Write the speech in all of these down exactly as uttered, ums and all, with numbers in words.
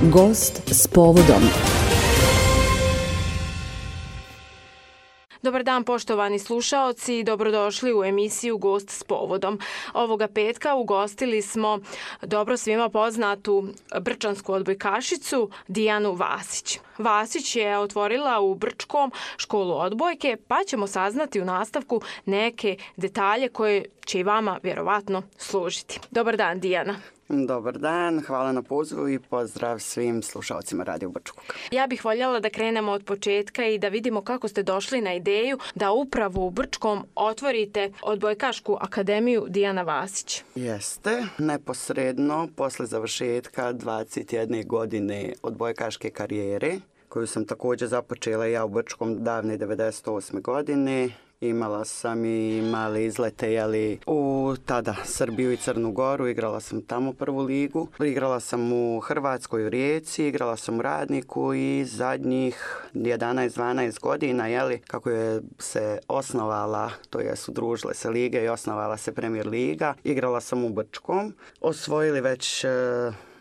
Gost s povodom. Dobar dan poštovani slušaoci, dobrodošli u emisiju Gost s povodom. Ovoga petka ugostili smo dobro svima poznatu brčansku odbojkašicu Dijanu Vasić. Vasić je otvorila u Brčkom školu odbojke, pa ćemo saznati u nastavku neke detalje koje će i vama vjerovatno služiti. Dobar dan, Dijana. Dobar dan, hvala na pozivu i pozdrav svim slušalcima Radio Brčkog. Ja bih voljela da krenemo od početka i da vidimo kako ste došli na ideju da upravo u Brčkom otvorite odbojkašku akademiju Dijana Vasić. Jeste, neposredno posle završetka dvadeset jedne godine odbojkaške karijere, koju sam također započela ja u Brčkom davne devedeset osme godine. Imala sam i male izlete jeli, u tada Srbiju i Crnu Goru, igrala sam tamo prvu ligu. Igrala sam u Hrvatskoj u Rijeci, igrala sam u Radniku i zadnjih jedanaest dvanaest godina, jeli, kako je se osnovala, to je udružile se lige i osnovala se Premier liga, igrala sam u Brčkom. Osvojili već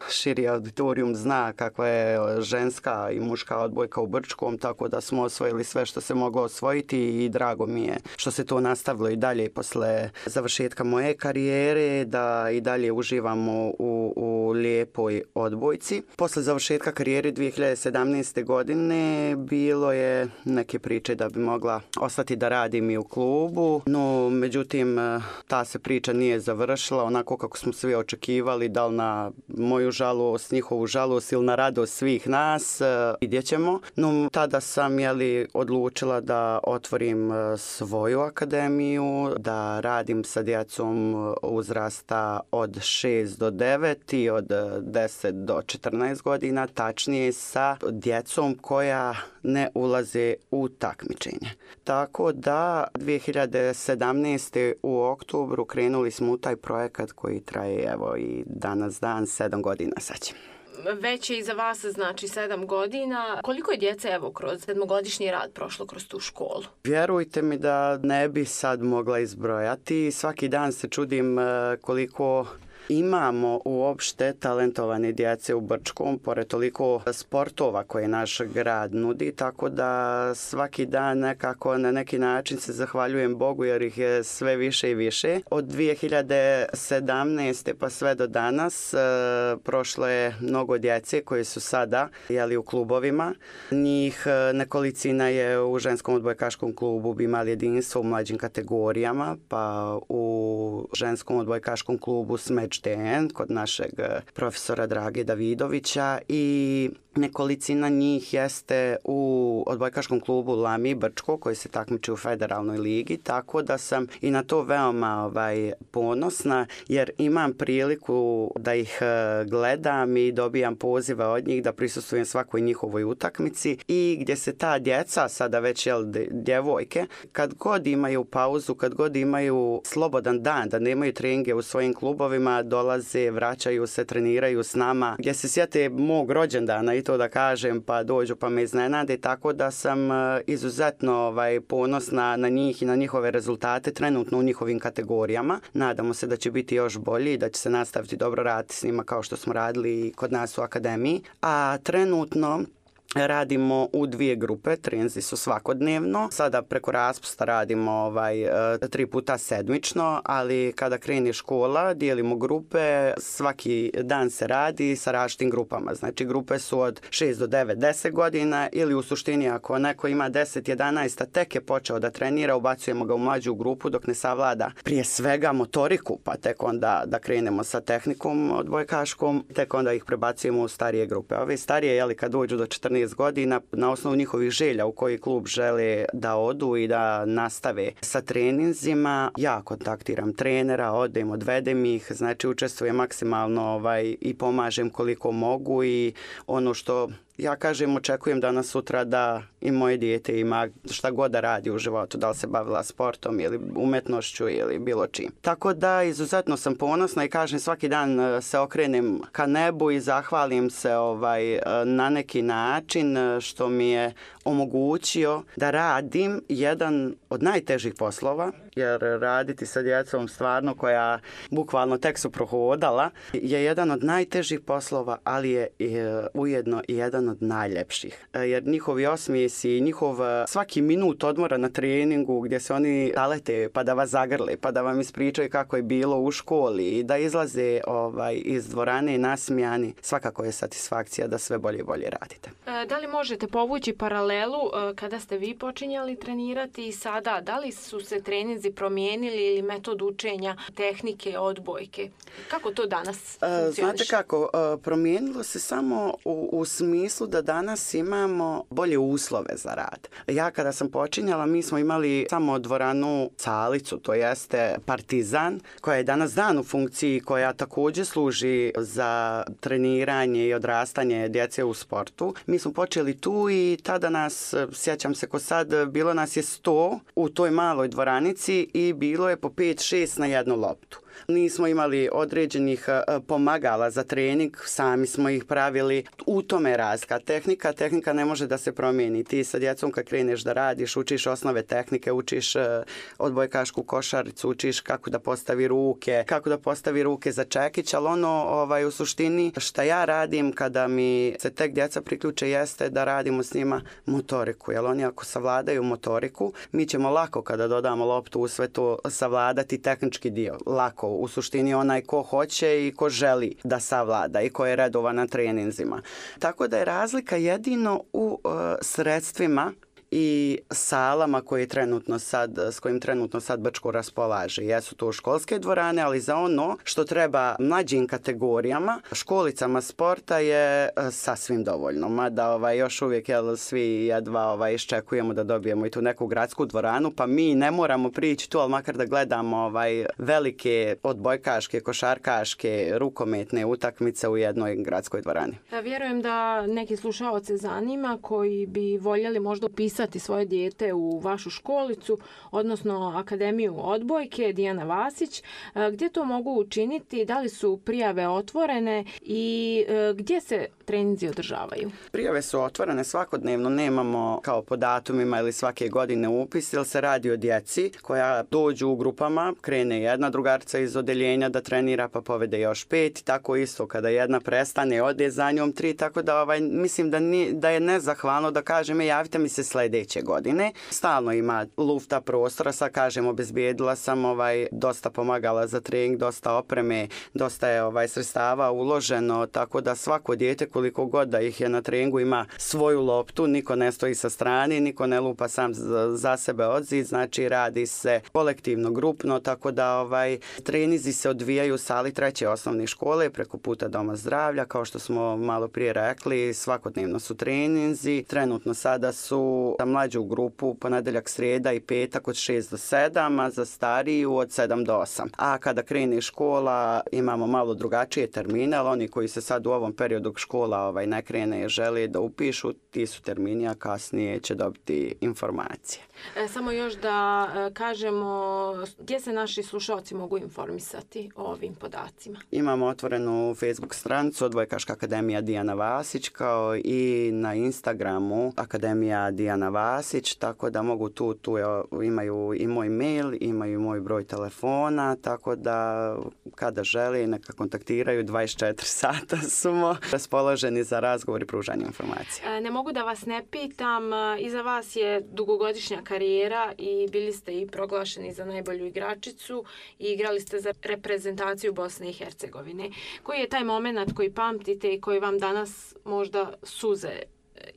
širi auditorijum zna kakva je ženska i muška odbojka u Brčkom, tako da smo osvojili sve što se moglo osvojiti i drago mi je što se to nastavilo i dalje posle završetka moje karijere, da i dalje uživamo u, u lijepoj odbojci. Posle završetka karijere dvije hiljade sedamnaeste. godine bilo je neke priče da bi mogla ostati da radim i u klubu, no međutim ta se priča nije završila onako kako smo svi očekivali, da li na moju žalost, njihovu žalost ili na radost svih nas, vidjet ćemo. No, tada sam jeli, odlučila da otvorim svoju akademiju, da radim sa djecom uzrasta od šest do devet i od deset do četrnaest godina, tačnije sa djecom koja ne ulaze u takmičenje. Tako da dvije hiljade sedamnaeste. u oktobru krenuli smo u taj projekat koji traje evo i danas dan, sedam godina sad će. Već je iza vas, znači, sedam godina. Koliko je djece, evo, kroz sedmogodišnji rad prošlo kroz tu školu? Vjerujte mi da ne bi sad mogla izbrojati. Svaki dan se čudim koliko imamo uopšte talentovane djece u Brčkom, pored toliko sportova koje naš grad nudi, tako da svaki dan nekako na neki način se zahvaljujem Bogu jer ih je sve više i više. Od dvije hiljade sedamnaeste. pa sve do danas e, prošlo je mnogo djece koje su sada jeli, u klubovima. Njih nekolicina je u ženskom odbojkaškom klubu Bimal jedinstvo u mlađim kategorijama, pa u ženskom odbojkaškom klubu Smeč kod našeg profesora Drage Davidovića i nekolicina njih jeste u odbojkaškom klubu Lami Brčko koji se takmiči u federalnoj ligi, tako da sam i na to veoma ovaj, ponosna jer imam priliku da ih gledam i dobijam pozive od njih da prisustvujem svakoj njihovoj utakmici i gdje se ta djeca, sada već jel, djevojke, kad god imaju pauzu, kad god imaju slobodan dan, da nemaju treninge u svojim klubovima, dolaze, vraćaju se, treniraju s nama, gdje se sjete mog rođendana i to da kažem, pa dođu pa me iznenade, tako da sam izuzetno ovaj, ponosna na njih i na njihove rezultate trenutno u njihovim kategorijama. Nadamo se da će biti još bolji i da će se nastaviti dobro raditi s njima kao što smo radili kod nas u akademiji. A trenutno radimo u dvije grupe, treninzi su svakodnevno. Sada preko raspusta radimo ovaj, tri puta sedmično, ali kada krene škola dijelimo grupe, svaki dan se radi sa različitim grupama. Znači grupe su od šest do devet, deset godina ili u suštini ako neko ima deset, jedanaest, a tek je počeo da trenira, ubacujemo ga u mlađu grupu dok ne savlada prije svega motoriku, pa tek onda da krenemo sa tehnikom odbojkaškom, tek onda ih prebacujemo u starije grupe. Ove starije, jeli, kad dođu do četrnaest godina, na osnovu njihovih želja u koji klub žele da odu i da nastave sa treninzima, ja kontaktiram trenera, odem, odvedem ih, znači učestvujem maksimalno ovaj, i pomažem koliko mogu i ono što ja kažem, očekujem danas sutra da i moje dijete ima šta god da radi u životu, da li se bavila sportom ili umetnošću ili bilo čim. Tako da izuzetno sam ponosna i kažem svaki dan se okrenem ka nebu i zahvalim se ovaj, na neki način što mi je omogućio da radim jedan od najtežih poslova jer raditi sa djecom stvarno koja bukvalno tek su prohodala je jedan od najtežih poslova, ali je ujedno i jedan od najljepših. Jer njihovi osmijesi i njihov svaki minut odmora na treningu gdje se oni zalete pa da vas zagrle, pa da vam ispričaju kako je bilo u školi i da izlaze ovaj, iz dvorane nasmijani, svakako je satisfakcija da sve bolje i bolje radite. Da li možete povući paralelu kada ste vi počinjali trenirati i sada? Da li su se treninzi promijenili ili metod učenja, tehnike, odbojke? Kako to danas funkcioniše? Znate kako, promijenilo se samo u, u smislu da danas imamo bolje uslove za rad. Ja kada sam počinjala, mi smo imali samo dvoranu Calicu, to jeste Partizan, koja je danas dan u funkciji, koja također služi za treniranje i odrastanje djece u sportu. Mi smo počeli tu i tada nas, sjećam se ko sad, bilo nas je sto u toj maloj dvoranici i bilo je po pet šest na jednu loptu. Nismo imali određenih pomagala za trening, sami smo ih pravili. U tome je razlika. Tehnika, tehnika ne može da se promijeni. Ti sa djecom kad kreneš da radiš, učiš osnove tehnike, učiš odbojkašku košaricu, učiš kako da postavi ruke, kako da postavi ruke za čekić, ali ono ovaj, u suštini šta ja radim kada mi se tek djeca priključe jeste da radimo s njima motoriku. Jer oni ako savladaju motoriku, mi ćemo lako kada dodamo loptu u sve to savladati tehnički dio. Lako. U suštini onaj ko hoće i ko želi da savlada i ko je redovan na treninzima. Tako da je razlika jedino u uh, sredstvima i salama koje trenutno sad, s kojim trenutno sad Brčko raspolaže. Jesu to školske dvorane, ali za ono što treba mlađim kategorijama, školicama sporta je sasvim dovoljno. Mada ovaj, još uvijek jel, svi jedva ovaj, iščekujemo da dobijemo i tu neku gradsku dvoranu, pa mi ne moramo prići tu, ali makar da gledamo ovaj, velike odbojkaške, košarkaške, rukometne utakmice u jednoj gradskoj dvorani. Ja vjerujem da neki slušaoce zanima koji bi voljeli možda upisati svoje dijete u vašu školicu, odnosno Akademiju odbojke Dijana Vasić. Gdje to mogu učiniti? Da li su prijave otvorene i gdje se treninzi održavaju? Prijave su otvorene svakodnevno, nemamo kao po datumima ili svake godine upis, jer se radi o djeci koja dođu u grupama, krene jedna drugarica iz odeljenja da trenira pa povede još pet, tako isto kada jedna prestane, ode za njom tri, tako da ovaj, mislim da, ni, da je nezahvalno da kažem javite mi se sljedeće godine. Stalno ima lufta prostora, sad kažem obezbijedila sam ovaj, dosta pomagala za trening, dosta opreme, dosta je ovaj, sredstava uloženo, tako da svako dijete koliko god da ih je na treningu ima svoju loptu, niko ne stoji sa strane, niko ne lupa sam za sebe odzid, znači radi se kolektivno, grupno, tako da ovaj, trenizi se odvijaju u sali treće osnovne škole preko puta Doma zdravlja, kao što smo malo prije rekli, svakodnevno su treninzi, trenutno sada su za mlađu grupu ponedjeljak, srijeda i petak od šest do sedam, a za stariju od sedam do osam. A kada krene škola imamo malo drugačije termine, ali oni koji se sad u ovom periodu škola ovaj, ne krene i žele da upišu, ti su termini, a kasnije će dobiti informacije. E, samo još da e, kažemo gdje se naši slušalci mogu informisati o ovim podacima. Imamo otvorenu Facebook stranicu Odbojkaška akademija Dijana Vasić, kao i na Instagramu Akademija Dijana Vasić, tako da mogu tu, tu je, imaju i moj mail, imaju i moj broj telefona, tako da kada žele neka kontaktiraju, dvadeset četiri sata smo raspoloženi za razgovor i pružanje informacija. E, ne mogu da vas ne pitam, iza vas je dugogodišnja karijera i bili ste i proglašeni za najbolju igračicu i igrali ste za reprezentaciju Bosne i Hercegovine. Koji je taj moment koji pamtite i koji vam danas možda suze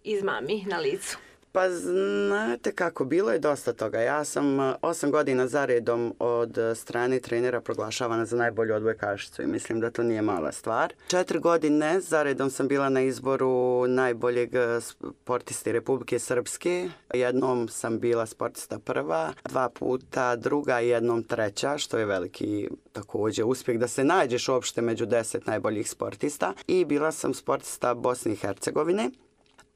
izmami na licu? Pa znate kako, bilo je dosta toga. Ja sam osam godina zaredom od strane trenera proglašavana za najbolju odbojkašicu i mislim da to nije mala stvar. Četiri godine zaredom sam bila na izboru najboljeg sportiste Republike Srpske. Jednom sam bila sportista prva, dva puta druga i jednom treća, što je veliki također uspjeh da se nađeš uopšte među deset najboljih sportista. I bila sam sportista Bosne i Hercegovine.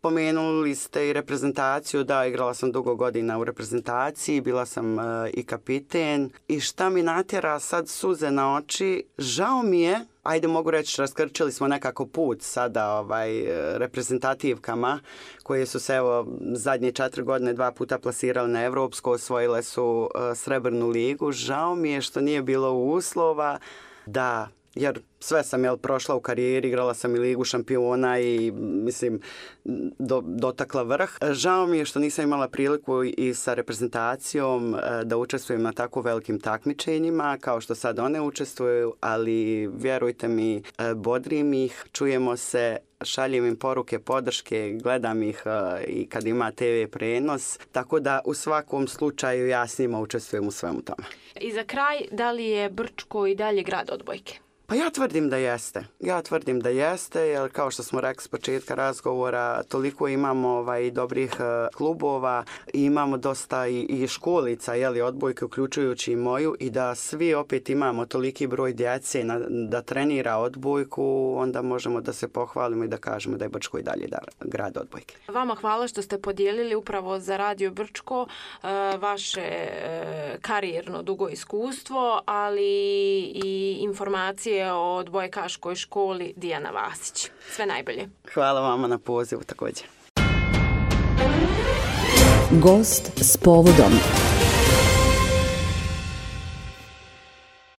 Pomenuli ste i reprezentaciju, da, igrala sam dugo godina u reprezentaciji, bila sam uh, i kapiten. I šta mi natjera sad suze na oči, žao mi je, ajde mogu reći, raskrčili smo nekako put sada ovaj, reprezentativkama koje su se evo zadnje četiri godine dva puta plasirali na Evropsko, osvojile su uh, Srebrnu ligu. Žao mi je što nije bilo uslova da, jer sve sam jel, prošla u karijeri, igrala sam i Ligu šampiona i mislim do, dotakla vrh. Žao mi je što nisam imala priliku i sa reprezentacijom da učestvujem na tako velikim takmičenjima kao što sad one učestvuju, ali vjerujte mi, bodrim ih, čujemo se, šaljem im poruke, podrške, gledam ih i kad ima te ve prenos, tako da u svakom slučaju ja s njima učestvujem u svemu tome. I za kraj, da li je Brčko i dalje grad odbojke? Pa ja tvrdim da jeste. Ja tvrdim da jeste, jer kao što smo rekli s početka razgovora, toliko imamo ovaj, dobrih uh, klubova, i imamo dosta i, i školica, jeli, odbojke, uključujući i moju, i da svi opet imamo toliki broj djece na, da trenira odbojku, onda možemo da se pohvalimo i da kažemo da je Brčko i dalje da, grad odbojke. Vama hvala što ste podijelili upravo za Radio Brčko uh, vaše uh, karijerno dugo iskustvo, ali i informacije o odbojkaškoj školi Dijana Vasić. Sve najbolje. Hvala vama na pozivu također. Gost s povodom.